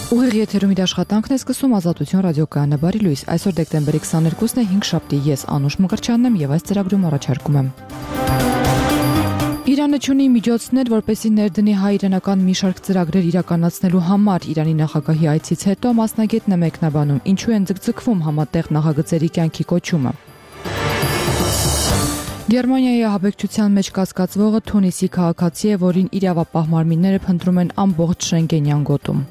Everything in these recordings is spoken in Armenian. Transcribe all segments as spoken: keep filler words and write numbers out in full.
Ուղիղ եթերում իր աշխատանքն է սկսում Ազատություն ռադիոկայանը բարի լույս։ Այսօր դեկտեմբերի քսաներկուսն է, հինգշաբթի, ես Անուշ Մկրտչյանն եմ եւ այս ծրագրում առաջարկում եմ։ Իրանը չունի միջոցներ, որպեսզի ներդնի հայ-իրանական մի շարք ծրագրեր իրականացնելու համար։ Իրանի նախագահի այցից հետո մասնագետն է մեկնաբանում, ինչու են ձգձգվում համատեղ նախագծերի կյանքի կոչումը։ Գերմանիայի ահաբեկչության մեջ կասկածվողը Թունիսի քաղաքացի է, որին իրավապահ մարմինները փնտրում են ամբողջ Շենգենյան գոտում։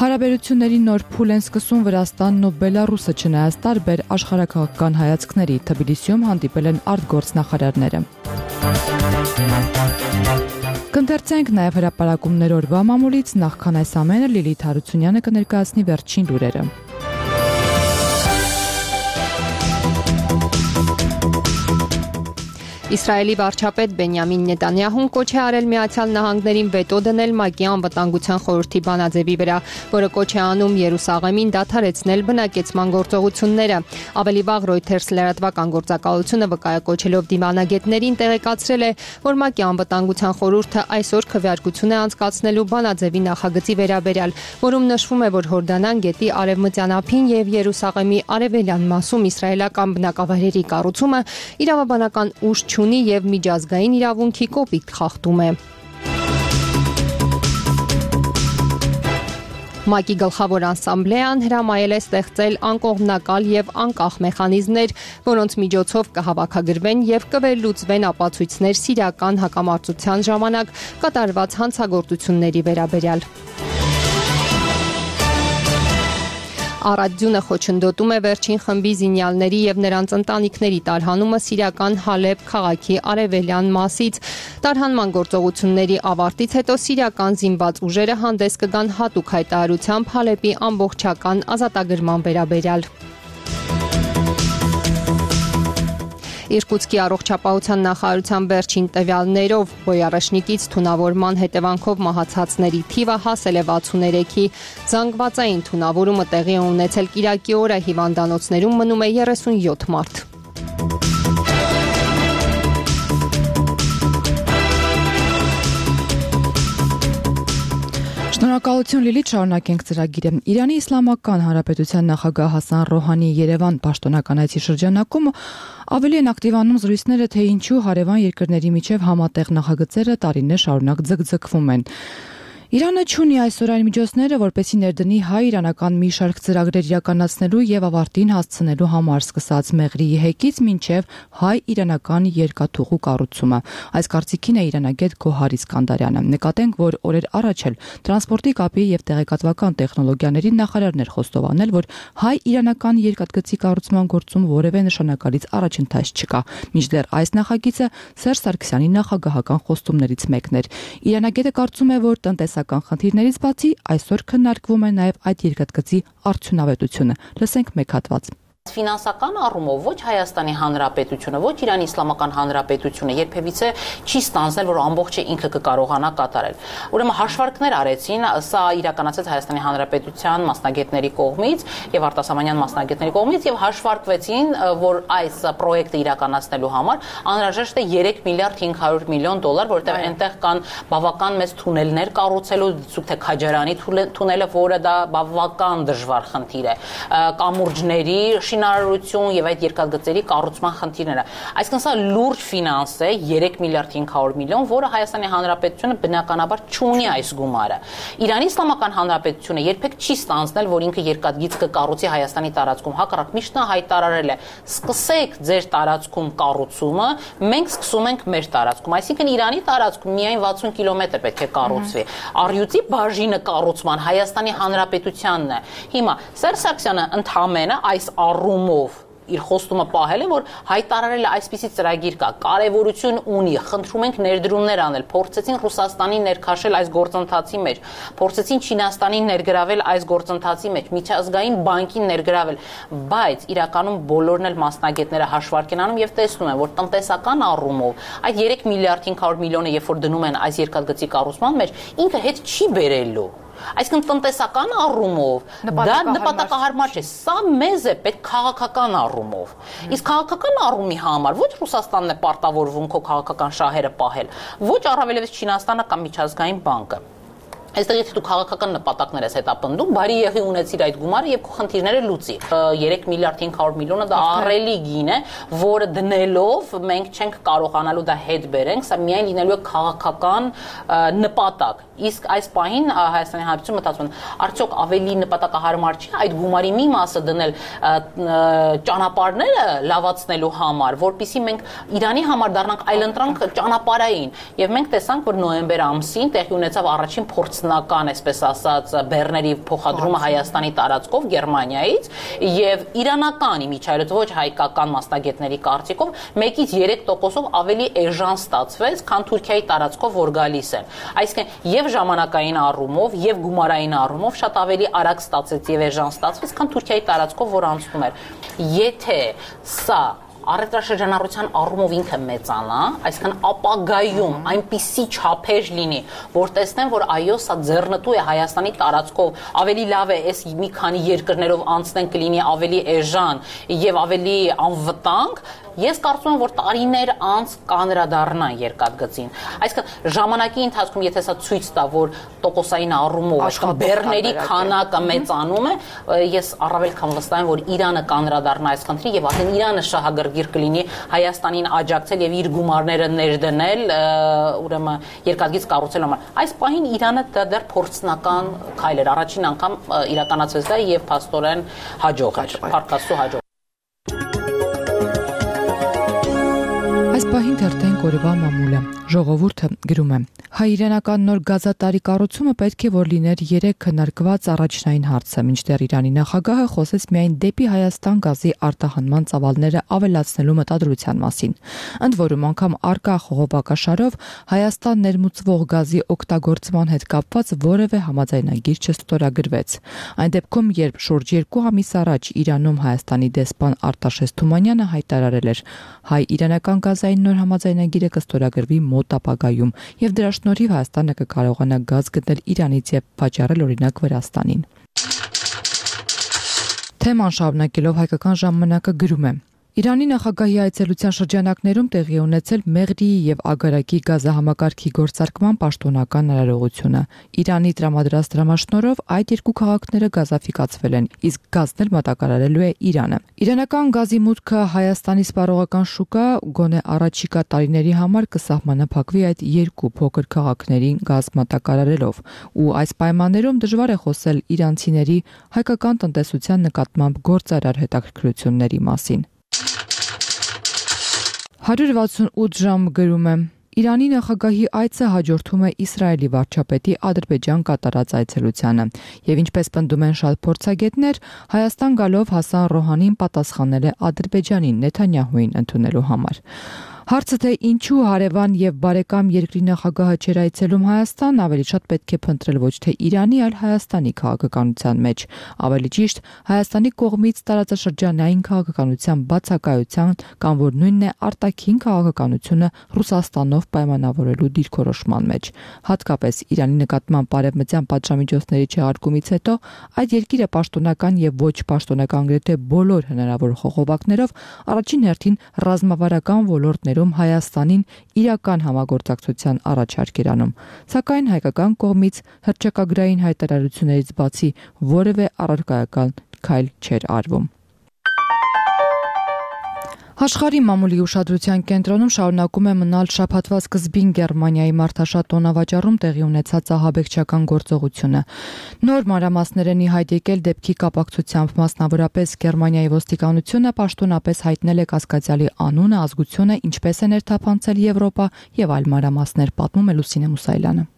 Հարաբերությունների նոր փուլ են սկսում Վրաստանն ու Բելարուսը, չնայած տարբեր աշխարհաքաղաքական հայացքների։ Թբիլիսիում հանդիպել են արտգործնախարարները։ Կընթերցենք նաև հրապարակումներ օրվա մամուլից, նախքան այս ամենը Լիլիթ Հարությունյանը կներկայացնի վերջին լուրերը։ Իսրայելի վարչապետ Բենյամին Նետանյահուն կոչ է արել Միացյալ Նահանգներին վետո դնել ՄԱԿ-ի անվտանգության խորհրդի բանաձևի վրա, որը կոչ է անում Երուսաղեմին դադարեցնել բնակեցման գործողությունները։ Ավելի վաղ Reuters լրատվական գործակալությունը վկայակոչելով դիվանագետներին տեղեկացրել է, որ ՄԱԿ-ի անվտանգության խորհուրդը այսօր քվեարկություն է անցկացնելու բանաձևի նախագծի վերաբերյալ, որում նշվում է, որ Հորդանան գետի արևմտյան ափին եւ Երուսաղեմի արևելյան մասում իսրայելական բնակավայրերի կառուցումը իրավաբանական ուժ ունի եւ միջազգային իրավունքի կոպիտ խախտում է։ ՄԱԿ-ի գլխավոր ասամբլեան հրամայել է ստեղծել անկողմնակալ եւ անկախ մեխանիզմներ, որոնց միջոցով կհավաքագրվեն եւ կվերլուծվեն ապացույցներ սիրիական հակամարտության ժամանակ կատարված հանցագործությունների վերաբերյալ։ Առաջյունը խոչընդոտում է վերջին խմբի զինյալների եւ նրանց ընտանիքների տարհանումը Սիրիական Հալեբ քաղաքի արևելյան մասից։ Տարհանման գործողությունների ավարտից հետո սիրիական զինված ուժերը հանդես կգան հատուկ հայտարարությամբ Հալեբի ամբողջական ազատագրման վերաբերյալ։ Իրկուտսկի առողջապահության նախարարության վերջին տվյալներով բոյարաշնիկից թունավորման հետևանքով մահացածների թիվը հասել է վաթսուներեքի։ Զանգվածային թունավորումը տեղի է ունեցել կիրակի օրը, հիվանդանոցներում մնում է երեսունյոթ մարդ։ Շնորհակալություն Լիլիթ, շարունակենք ծրագիրը։ Իրանի Իսլամական Հանրապետության նախագահ Հասան Ռոհանի Երևան պաշտոնական այցի շրջանակում ավելի են ակտիվանում զրույցները, թե ինչու հարևան երկրների միջև համատեղ նախագծերը տարիներ շարունակ ձգձգվում են։ Իրանը չունի այսօր այն միջոցները, որպեսզի ներդնի հայ-իրանական մի շարք ծրագրեր իրականացնելու եւ ավարտին հասցնելու համար, սկսած Մեղրիի հեկից մինչեւ հայ-իրանական երկաթուղու կառուցումը։ Այս կարծիքին է իրանագետ Գոհար Իսկանդարյանը։ Նկատենք, որ օրեր առաջ էլ տրանսպորտի կապի եւ տեղեկատվական տեխնոլոգիաների նախարարներ խոստովանել, որ հայ-իրանական երկաթգծի կառուցման գործում որևէ նշանակալից առաջընթաց չկա։ Մինչդեռ այս նախագիծը Սերժ Սարգսյանի նախագահական խոստումներից մեկն էր։ Իրանագետը կարծում է, որ տնտեսական խնդիրներից բացի այսօր քննարկվում է նաև այդ երկաթգծի արդյունավետությունը։ Լսենք մեկ հատված։ Ֆինանսական առումով ոչ Հայաստանի Հանրապետությունը, ոչ Իրանի Իսլամական Հանրապետությունը երբևիցե չի ստանձնել, որ ամբողջը ինքը կկարողանա կատարել։ Ուրեմն հաշվարկներ արեցին, սա իրականացեց Հայաստանի Հանրապետության մասնագետների կողմից եւ արտասահմանյան մասնագետների կողմից եւ հաշվարկվեցին, որ այս պրոյեկտը իրականացնելու համար անհրաժեշտ է երեք միլիարդ հինգ հարյուր միլիոն դոլար, որտեղ այնտեղ կան բավական մեծ թունելներ կառուցելու, դիցուք թե Քաջարանի թունելը, որը դա բավական դժվար խնդիր է, կամուրջների շինարարություն եւ այդ երկաթգծերի կառուցման խնդիրները։ Այսինքն սա լուրջ ֆինանս է, երեք միլիարդ հինգ հարյուր միլիոն, որը Հայաստանի Հանրապետությունը բնականաբար չունի այս գումարը։ Իրանի Իսլամական Հանրապետությունը երբեք չի ստանձնել, որ ինքը երկաթգիծ կկառուցի Հայաստանի տարածքում, հակառակ միշտ նա հայտարարել է. սկսեք ձեր տարածքում կառուցումը, մենք սկսում ենք մեր տարածքում։ Այսինքն Իրանի տարածքում միայն վաթսուն կիլոմետր պետք է կառուցվի։ Առյուծի բաժինը կառուցման Հայաստանի Հանրապետությանն է։ Հիմա Սերժ Սարգսյանը ընդհանրապես այս առումով իր խոստումը պահել է, որ հայտարարել է այսպիսի ծրագիր կա, կարևորություն ունի, խնդրում ենք ներդրումներ անել, փորձեցին Ռուսաստանին ներքաշել այս գործընթացի մեջ, փորձեցին Չինաստանին ներգրավել այս գործընթացի մեջ, միջազգային բանկին ներգրավել, բայց իրականում բոլորն էլ մասնագետները հաշվարկ են անում եւ տեսնում են, որ տնտեսական առումով այդ երեք միլիարդ հինգ հարյուր միլիոնը երբ որ դնում են այս երկաթգծի կառուցման մեջ, ինքը հետ չի բերելու։ Այսինքն տնտեսական առումով դա նպատակահարմար չէ, սա մեզ է պետք քաղաքական առումով։ Իսկ քաղաքական առումի համար ոչ Ռուսաստանն է պարտավորվում քո քաղաքական շահերը պահել, ոչ առավելևս Չինաստանը կամ միջազգային բանկը։ Այստեղ եթե դու քաղաքական նպատակներ ես հետապնդում, բարի եղի ունեցիր այդ գումարը եւ քո խնդիրները լուծի։ երեք միլիարդ հինգ հարյուր միլիոնը դա ահռելի գին է, որը դնելով մենք չենք կարողանալու դա հետ բերենք, սա միայն լինելու է քաղաքական նպատակ։ Իսկ այս պահին Հայաստանի Հանրապետությունը մտածում է, արդյոք ավելի նպատակահարմար չի այդ գումարի մի մասը դնել ճանապարհները լավացնելու համար, որpիսի մենք Իրանի համար դառնանք այլընտրանք ճանապարհային։ Եվ մենք տեսանք, որ նոյեմբեր ամսին տեղի ունեցավ առաջին փորձնական, այսպես ասած, բեռների փոխադրումը Հայաստանի տարածքով Գերմանիայից, եւ իրանական իմիջայլոց ոչ հայկական մասնագետների կարծիքով մեկից երեք տոկոսով ավելի էժան ստացվեց, քան Թուրքիայի տարածքով որ գալիս են։ Այսինքն եւ ժամանակային առումով եւ գումարային առումով շատ ավելի արագ ստացեց եւ էժան ստացվեց, քան Թուրքիայի տարածքով որ անցնում էր։ Եթե սա առևտրաշրջանառության առումով ինքը մեծանա, այսինքն ապագայում այնպիսի չափեր լինի, որ տեսնեն, որ այո, սա ձեռնտու է Հայաստանի տարածքով, ավելի լավ է այս մի քանի երկրներով անցնեն կլինի ավելի էժան եւ ավելի անվտանգ, ես կարծում եմ, որ տարիներ անց կանրադառնան երկաթգծին։ Այսինքն ժամանակի ընթացքում եթե սա ցույց տա, որ տոկոսային առումով այսինքն բեռների քանակը մեծանում է, ես առավել քան վստահ եմ, որ Իրանը կանրադառնա այս խնդրին եւ արդեն Իրանը շահագրգիռ կլինի Հայաստանին աջակցել եւ իր գումարները ներդնել, ուրեմն երկաթգիծ կառուցելու համար։ Այս պահին Իրանը դա դեռ փորձնական քայլ էր, առաջին անգամ իրականացվեց դա եւ փաստորեն հաջող էր, փառքաստու հաջող։ Այս պահին թերթեն կորվա մամուլը ժողովուրդը գրում է. հայ-իրանական նոր գազատարի կառուցումը պետք է որ լիներ երեք քննարկված առաջնային հարցը, մինչդեռ Իրանի նախագահը խոսեց միայն դեպի Հայաստան գազի արտահանման ծավալները ավելացնելու մտադրության մասին։ Ընդ որում անգամ արկա խողովակաշարով Հայաստան ներմուծվող գազի օգտագործման հետ կապված որևէ համաձայնագիր չստորագրվեց։ Այն դեպքում, երբ շուրջ երկու ամիս առաջ Իրանում Հայաստանի դեսպան Արտաշես Թումանյանը հայտարարել էր, հայ-իրանական գազային նոր համաձայնագիրը կստորագրվի մոտ ապագայում, եւ դրա շնորհիվ Հայաստանը կկարողանա գազ գտնել Իրանից եւ վաճառել օրինակ Վրաստանին։ Թեման շարունակելով հայկական ժամանակը գրում է. Իրանի նախագահի այցելության շրջանակներում տեղի ունեցել Մեղրիի եւ Ագարակի գազահամակարգի գործարկման պաշտոնական արարողությունը։ Իրանի տրամադրած դրամաշնորհով այդ երկու քաղաքները գազաֆիկացվել են, իսկ գազն էլ մատակարարելու է Իրանը։ Իրանական գազի մուտքը Հայաստանի սպառողական շուկա գոնե առաջիկա տարիների համար կսահմանափակվի այդ երկու փոքր քաղաքներին գազ մատակարարելով, ու այս պայմաններում դժվար է խոսել իրանցիների հայկական տնտեսության նկատմամբ գործարար հետաքրքրությունների մասին։ հարյուր վաթսունութ ժամ գրում է. Իրանի նախագահի այցը հաջորդում է Իսրայելի վարչապետի Ադրբեջան կատարած այցելությանը, եւ ինչպես պնդում են շատ փորձագետներ, Հայաստան գալով Հասան Ռոհանին պատասխանել է Ադրբեջանին Նեթանյահուին ընդունելու համար։ Հարցը թե ինչու հարևան եւ բարեկամ երկրի նախագահը չեր այցելում Հայաստան, ավելի շատ պետք է փնտրել ոչ թե Իրանի, այլ Հայաստանի քաղաքականության մեջ, ավելի ճիշտ Հայաստանի կողմից տարածաշրջանային քաղաքականության բացակայության կամ որ նույնն է արտաքին քաղաքականությունը Ռուսաստանով պայմանավորելու դիրքորոշման մեջ։ Հատկապես Իրանի նկատմամբ բարևմտյան պատժամիջոցների չեղարկումից հետո այդ երկիրը պաշտոնական եւ ոչ պաշտոնական գրեթե բոլոր հնարավոր խողովակներով առաջին հերթին ռազմավարական ոլորտներում Հայաստանին իրական համագործակցության առաջարկ էր անում, սակայն հայկական կողմից հռչակագրային հայտարարություններից բացի որևէ առարկայական քայլ չէր արվում։ Աշխարհի մամուլի ուշադրության կենտրոնում շարունակում է մնալ շաբաթվա սկզբին Գերմանիայի մարդաշատ տոնավաճառում տեղի ունեցած ահաբեկչական գործողությունը։ Նոր մանրամասներ են հայտ եկել դեպքի կապակցությամբ, մասնավորապես Գերմանիայի ոստիկանությունը պաշտոնապես հայտնել է կասկածյալի անունը, ազգությունը, ինչպես է ներթափանցել Եվրոպա եւ այլ մանրամասներ, պատմում է Լուսինե Մուսայելյանը։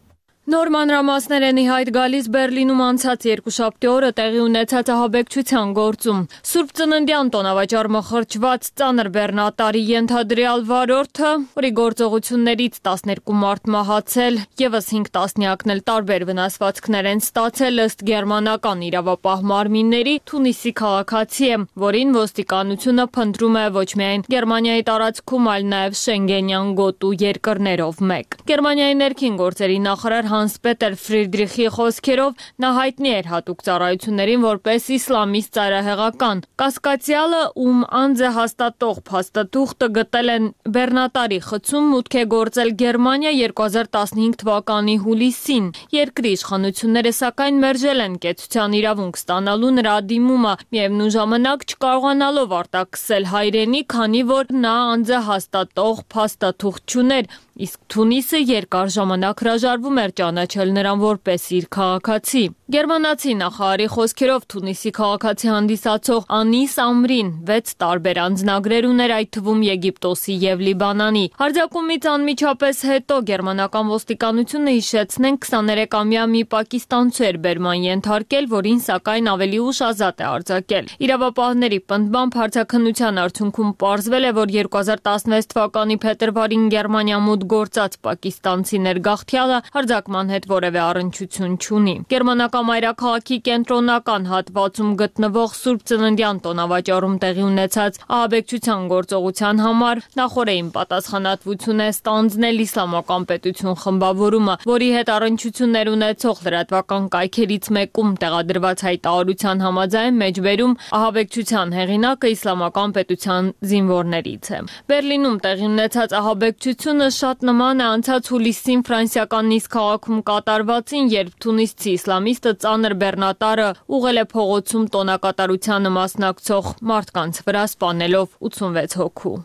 Նոր մանրամասներ են ի հայտ գալիս Բերլինում անցած երկուշաբթի օրը տեղի ունեցած ահաբեկչության գործում։ Սուրբ Ծննդյան տոնավաճառը խրճված ծանր բեռնատարի ենթադրյալ վարորդը, որի գործողություններից տասներկու մարդ մահացել, եւս հինգ տասնյակն էլ տարբեր վնասվածքներ են ստացել ըստ գերմանական իրավապահ մարմինների, Թունիսի քաղաքացի է, որին ոստիկանությունը փնտրում է ոչ միայն Գերմանիայի տարածքում, այլ նաեւ Շենգենյան գոտու երկրներով մեկ։ Գերմանիայի ներքին գործերի նախարար Հանս Պետեր Ֆրիդրիխի խոսքերով նա հայտնի էր հատուկ ծառայություններին որպես իսլամիստ ծայրահեղական։ Կասկածյալը, ում անձը հաստատող փաստաթուղթը գտել են բեռնատարի խցում, մուտք է գործել Գերմանիա երկու հազար տասնհինգ թվականի հուլիսին։ Երկրի իշխանությունները սակայն մերժել են կեցության իրավունք ստանալու նրա դիմումը, միևնույն ժամանակ չկարողանալով արտաքսել հայրենի, քանի որ նա անձը հաստատող փաստաթուղթ չուներ, իսկ Թունիսը երկար ժամանակ հրաժարվում էր ճանաչել նրան որպես իր քաղաքացի։ Գերմանացի նախարարի խոսքերով Թունիսի քաղաքացի հանդիսացող Անիս Ամրին վեց տարբեր անձնագրեր ուներ, այդ թվում Եգիպտոսի եւ Լիբանանի։ Հարձակումից անմիջապես հետո գերմանական ոստիկանությունը հիշեցնեն քսաներեքամյա մի պակիստանցու էր բերման ենթարկել, որին սակայն ավելի ուշ ազատ է արձակել։ Իրավապահների պնդմամբ հարձակնության արդյունքում պարզվել է, որ երկու հազար տասնվեց թվականի փետրվարին Գերմանիա մուտք գործած պակիստանցի ներգաղթյալը հարձակման հետ որևէ առնչություն չունի։ Գերմանական մայրաքաղաքի կենտրոնական հատվածում գտնվող Սուրբ Ծննդյան տոնավաճառում տեղի ունեցած ահաբեկչության գործողության համար նախորդին պատասխանատվություն է ստանձնել Իսլամական պետություն խմբավորումը, որի հետ առնչություններ ունեցող լրատվական կայքերից մեկում տեղադրված հայտարարության համաձայն մեջբերում ահաբեկչության հեղինակը Իսլամական պետության զինվորներից է։ Բերլինում տեղի ունեցած ահաբեկչությունը շատ նման է անցած հուլիսին ֆրանսիական Նիս քաղաքում կատարվածին, երբ թունիսցի իսլամիստը ծանր բեռնատարը ուղղել է փողոցում տոնակատարությանը մասնակցող մարդկանց վրա, սպանելով ութսունվեց հոգու։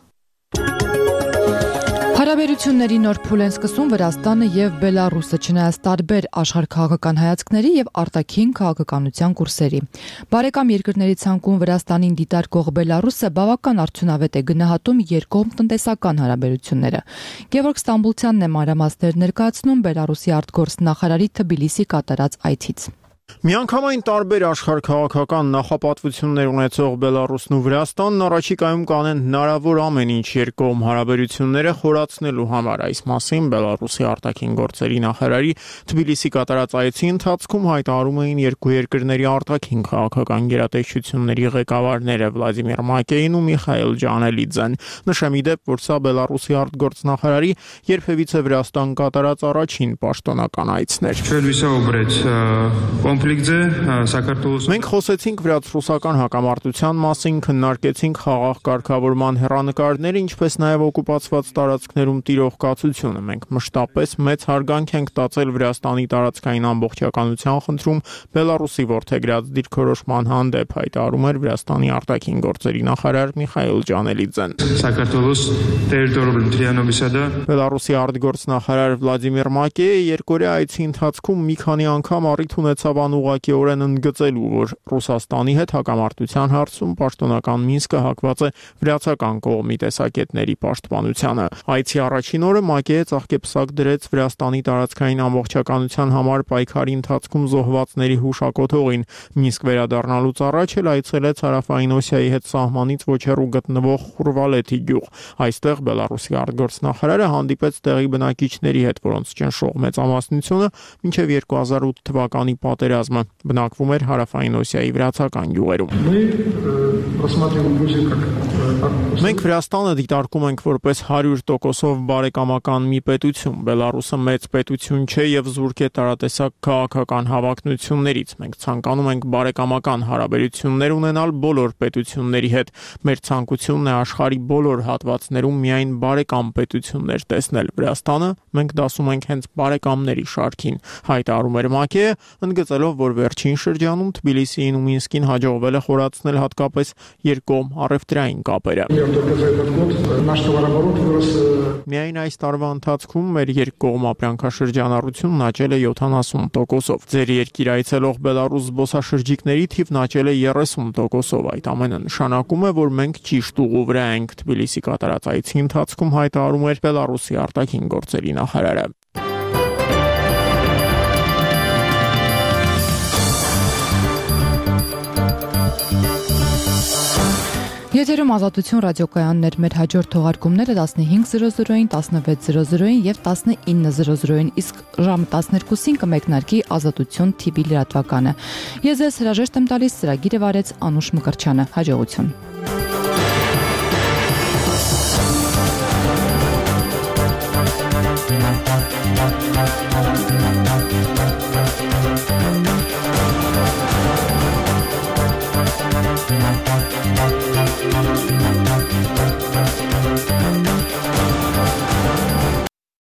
Հարաբերությունների նոր փուլ են սկսում Վրաստանը եւ Բելարուսը, չնայած տարբեր աշխարհքաղաքական հայացքների եւ արտաքին քաղաքականության կուրսերի։ Բարեկամ երկրների ցանկում Վրաստանին դիտարկող Բելարուսը բավական արդյունավետ է գնահատում երկկողմ տնտեսական հարաբերությունները։ Գևորգ Ստամբուլցյանն է մանրամասներ ներկայացնում Բելարուսի արտգործնախարարի Թբիլիսի կատարած այցից։ Միանգամայն տարբեր աշխարհքաղաքական նախապատվություններ ունեցող Բելարուսն ու Վրաստանն առաջիկայում կանեն հնարավոր ամեն ինչ երկկողմ հարաբերությունները խորացնելու համար։ Այս մասին Բելարուսի արտաքին գործերի նախարարի Թբիլիսի կատարած այցի ընթացքում հայտարարում էին երկու երկրների արտաքին քաղաքական գերատեսչությունների ղեկավարները Վլադիմիր Մակեին ու Միխայել Ջանելիձեն։ Նշեմ ի դեպ, որ սա Բելարուսի արտգործնախարարի երբևիցե Վրաստան կատարած առաջին պաշտոնական այցն էր։ Մենք խոսեցինք վրաց-ռուսական հակամարտության մասին, քննարկեցինք խաղաղ կարգավորման հեռանկարները, ինչպես նաև օկուպացված տարածքներում տիրող կացությունը։ Մենք մշտապես մեծ հարգանք ենք տածել Վրաստանի տարածքային ամբողջականության խնդրում Բելարուսի որդեգրած դիրքորոշման հանդեպ, հայտարարում էր Վրաստանի արտաքին գործերի նախարար Միխայել Ջանելիձեն։ Բելարուսի արտգործնախարար Վլադիմիր Մակեյը երկօրյա այցի ընթացքում մի քանի անգամ առիթ ունեցավ անուղղակիորեն ընդգծելու, որ Ռուսաստանի հետ հակամարտության հարցում պաշտոնական Մինսկը հակված է վրացական կողմի տեսակետների պաշտպանությանը։ Այցի առաջին օրը Մակեյը ծաղկեպսակ դրեց Վրաստանի տարածքային ամբողջականության համար պայքարի ընթացքում զոհվածների հուշակոթողին։ Մինսկ վերադառնալուց առաջ էլ այցելեց Հարավային Օսիայի հետ սահմանից ոչ հեռու գտնվող Խուրվալեթի գյուղ։ Այստեղ Բելարուսի արտգործնախարարը հանդիպեց տեղի բնակիչների հետ, որոնց ճնշող մեծամասնությունը մինչև երկու հազար ութ թվականի պատերազմը բնակվում էր Հարավային Օսիայի վրացական գյուղերում։ Մենք Վրաստանը դիտարկում ենք որպես հարյուր տոկոսով բարեկամական մի պետություն։ Բելարուսը մեծ պետություն չէ եւ զուրկ է տարատեսակ քաղաքական հավակնություններից։ Մենք ցանկանում ենք բարեկամական հարաբերություններ ունենալ բոլոր պետությունների հետ։ Մեր ցանկությունն է աշխարհի բոլոր հատվածներում միայն բարեկամ պետություններ տեսնել։ Վրաստանը մենք դասում ենք հենց բարեկամների շարքին, հայտարարում էր Մակեյը, ընդգծելով, որ վերջին շրջանում Թբիլիսիին ու Մինսկին հաջողվել է խորացնել հատկապես երկկողմ առևտրային կապերը։ Միայն այս տարվա ընթացքում մեր երկկողմ ապրանքաշրջանառությունն աճել է յոթանասուն տոկոսով։ Ձեր երկիր այցելող Բելարուս զբոսաշրջիկների թիվն աճել է երեսուն տոկոսով։ Այդ ամենը նշանակում է, որ մենք ճիշտ ուղու վրա ենք, Թբիլիսի կատարած այցի ընթացքում հայտարարում էր Բելարուսի արտաքին գործերի նախարարը։ Եթերում Ազատություն ռադիոկայաններ, մեր հաջորդ թողարկումները տասնհինգ զրո զրոին, տասնվեց զրո զրոին եւ տասնինը զրո զրոին, իսկ ժամը տասներկուսին կմեկնարկի Ազատություն թի վի լրատվականը։ Ես ձեզ հրաժեշտ եմ տալիս, ծրագիրը վարեց Անուշ Մկրչյանը։ Հաջողություն։